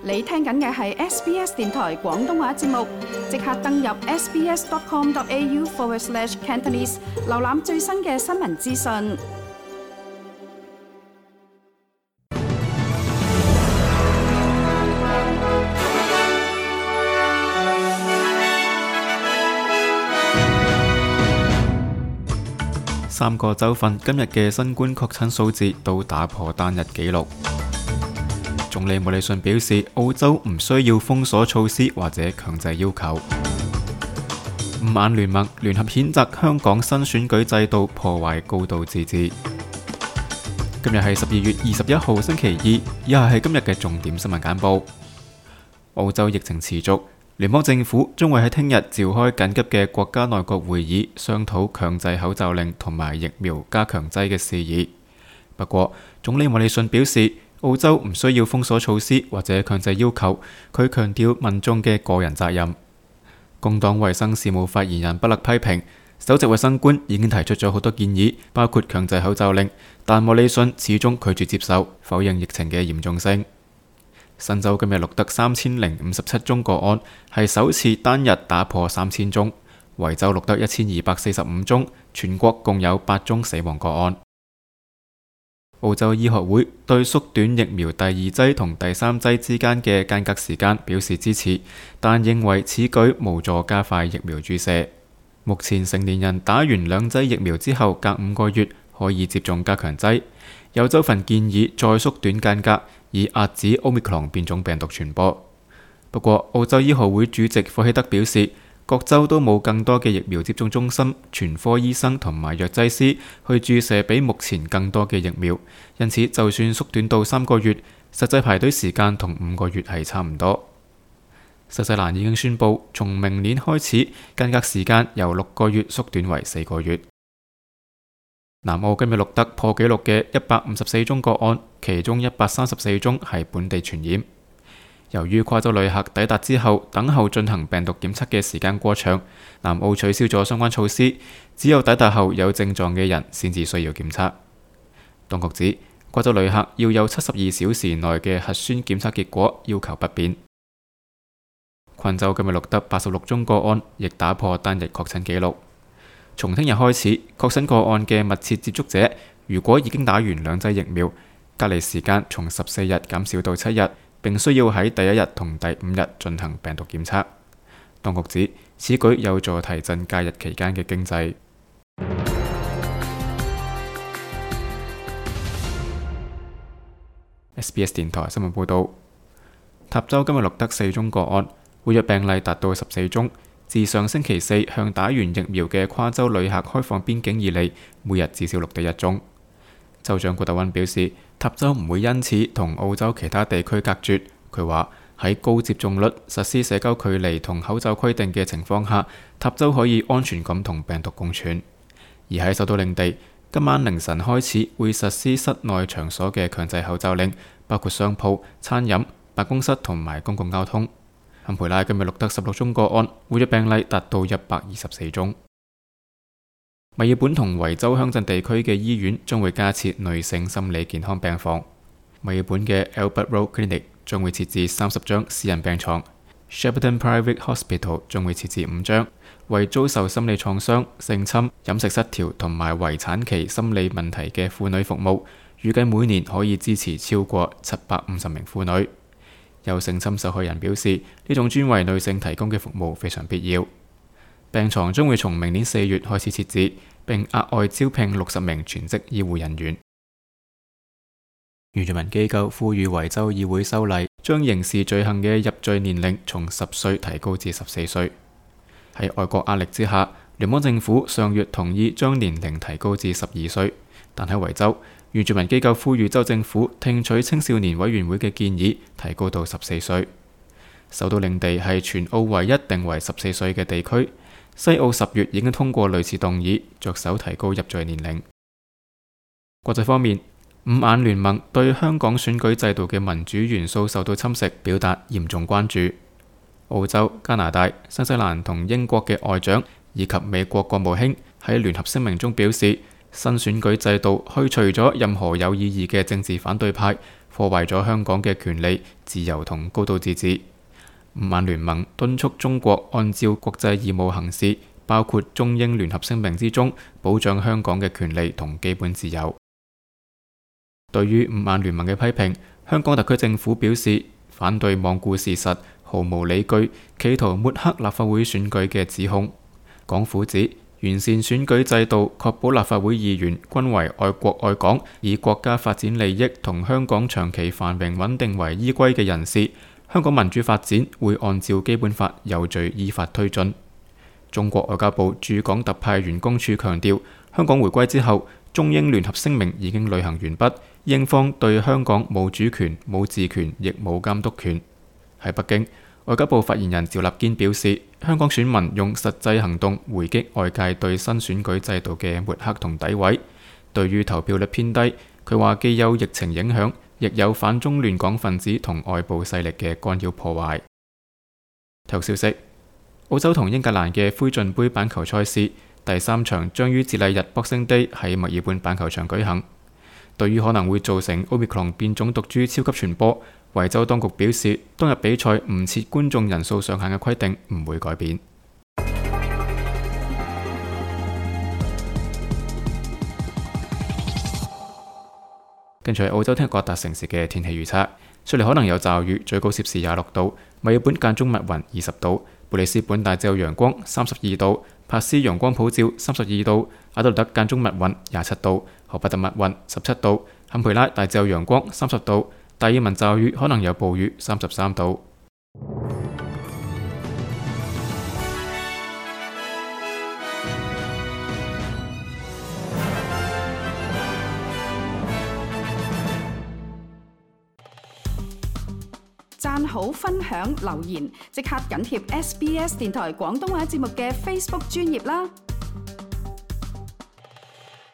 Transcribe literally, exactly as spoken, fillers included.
你聽緊嘅係 S B S 電台廣東話節目，即刻登入 sbs.com.au forward slash Cantonese， 瀏覽最新嘅新聞資訊。三個州份今日嘅新冠確診數字都打破單日紀錄。總理莫里遜表示，澳洲唔需要封鎖措施或者強制要求。五眼聯盟聯合譴責香港新選舉制度破壞高度自治。今日係十二月二十一號星期二，以下係今日嘅重點新聞簡報。澳洲疫情持續，聯邦政府將會喺聽日召開緊急嘅國家內閣會議，商討強制口罩令同埋疫苗加強劑嘅事宜。不過，總理莫里遜表示，澳洲唔需要封鎖措施或者強制要求，佢強調民眾嘅個人責任。工黨衛生事務發言人布勒批評，首席衛生官已經提出咗好多建議，包括強制口罩令，但莫里遜始終拒絕接受，否認疫情嘅嚴重性。新州今日錄得三千零五十七宗個案，係首次單日打破三千宗。維州錄得一千二百四十五宗，全國共有八宗死亡個案。澳洲醫學會對縮短疫苗第二劑同第三劑之間嘅間隔時間表示支持，但認為此舉無助加快疫苗注射。目前成年人打完兩劑疫苗之後，隔五個月可以接種加強劑。有州份建議再縮短間隔，以遏止 Omicron 變種病毒傳播。不過，澳洲醫學會主席霍希德表示，各州都冇更多嘅疫苗接種中心、全科醫生同埋藥劑師去注射比目前更多嘅疫苗，因此就算縮短到三個月，實際排隊時間同五個月係差唔多。新西蘭已經宣布，從明年開始，間隔時間由六個月縮短為四個月。南澳今日錄得破紀錄嘅一百五十四宗個案，其中一百三十四宗係本地傳染。由於跨州旅客抵達之後等候進行病毒檢測嘅時間過長，南澳取消咗相關措施，只有抵達後有症狀嘅人先至需要檢測。當局指，跨州旅客要有七十二小時內嘅核酸檢測結果，要求不變。昆州今日錄得八十六宗個案，亦打破單日確診紀錄。從聽日開始，確診個案嘅密切接觸者，如果已經打完兩劑疫苗，隔離時間從十四日減少到七日，並需要喺第一日同第五日進行病毒檢測。當局指，此舉有助提振假日期間嘅經濟。S B S 電台新聞報導，塔州今日錄得四宗個案，活躍病例達到十四宗。自上星期四向打完疫苗嘅跨州旅客開放邊境以嚟，每日至少錄得一宗。州長古特溫表示，塔州唔會因此同澳洲其他地區隔絕。佢話喺高接種率、實施社交距離同口罩規定嘅情況下，塔州可以安全咁同病毒共存。而喺首都領地，今晚凌晨開始會實施室內場所嘅強制口罩令，包括商鋪、餐飲、辦公室同埋公共交通。坎培拉今日錄得十六宗個案，活躍病例達到一百二十四宗。墨爾本同維州鄉鎮地區嘅醫院將會加設女性心理健康病房。墨爾本嘅 Albert Road Clinic 將會設置三十張私人病床 ，Shepparton Private Hospital 將會設置五張，為遭受心理創傷、性侵、飲食失調同埋圍產期心理問題嘅婦女服務，預計每年可以支持超過七百五十名婦女。有性侵受害人表示，呢種專為女性提供嘅服務非常必要。病床將會從明年四月開始設置，並額外招聘六十名全職醫護人員。原住民機構呼籲維州議會修例，將刑事罪行嘅入罪年齡從十歲提高至十四歲。喺外國壓力之下，聯邦政府上月同意將年齡提高至十二歲，但喺維州，原住民機構呼籲州政府聽取青少年委員會嘅建議，提高到十四歲。首都領地係全澳唯一定為十四歲嘅地區，西澳十月已經通過類似動議，着手提高入罪年齡。國際方面，五眼聯盟對香港選舉制度嘅民主元素受到侵蝕，表達嚴重關注。澳洲、加拿大、新西蘭同英國嘅外長以及美國國務卿喺聯合聲明中表示，新選舉制度去除咗任何有意義嘅政治反對派，破壞咗香港嘅權利、自由同高度自治。五眼聯盟敦促中國按照國際義務行事，包括中英聯合聲明之中保障香港嘅權利同基本自由。對於五眼聯盟嘅批評，香港特區政府表示反對罔顧事實、毫無理據、企圖抹黑立法會選舉嘅指控。港府指完善選舉制度，確保立法會議員均為愛國愛港、以國家發展利益同香港長期繁榮穩定為依歸嘅人士。香港民主發展會按照基本法有序依法推進。中國外交部駐港特派員公署強調，香港回歸之後，中英聯合聲明已經履行完畢，英方對香港冇主權、冇治權，亦冇監督權。喺北京，外交部發言人趙立堅表示，香港選民用實際行動回擊外界對新選舉制度嘅抹黑同詆毀。對於投票率偏低，佢話既有疫情影響，亦有反中亂港分子同外部勢力嘅干擾破壞。體育消息：澳洲同英格蘭嘅灰燼杯板球賽事第三場將於節禮日 Boxing Day 喺墨爾本板球場舉行。對於可能會造成 Omicron 變種毒株超級傳播，維州當局表示，當日比賽唔設觀眾人數上限嘅規定唔會改變。跟住係澳洲聽日各大城市嘅天氣預測：雪梨可能有驟雨，最高攝氏廿六度；墨爾本間中密雲，二十度；布里斯本大致有陽光，三十二度；珀斯陽光普照，三十二度；阿德萊德間中密雲，廿七度；荷伯特密雲，十七度；坎培拉大致有陽光，三十度；達爾文驟雨可能有暴雨，三十三度。讚好、分享、留言，即刻緊貼 S B S 電台廣東話節目嘅 Facebook 專頁啦！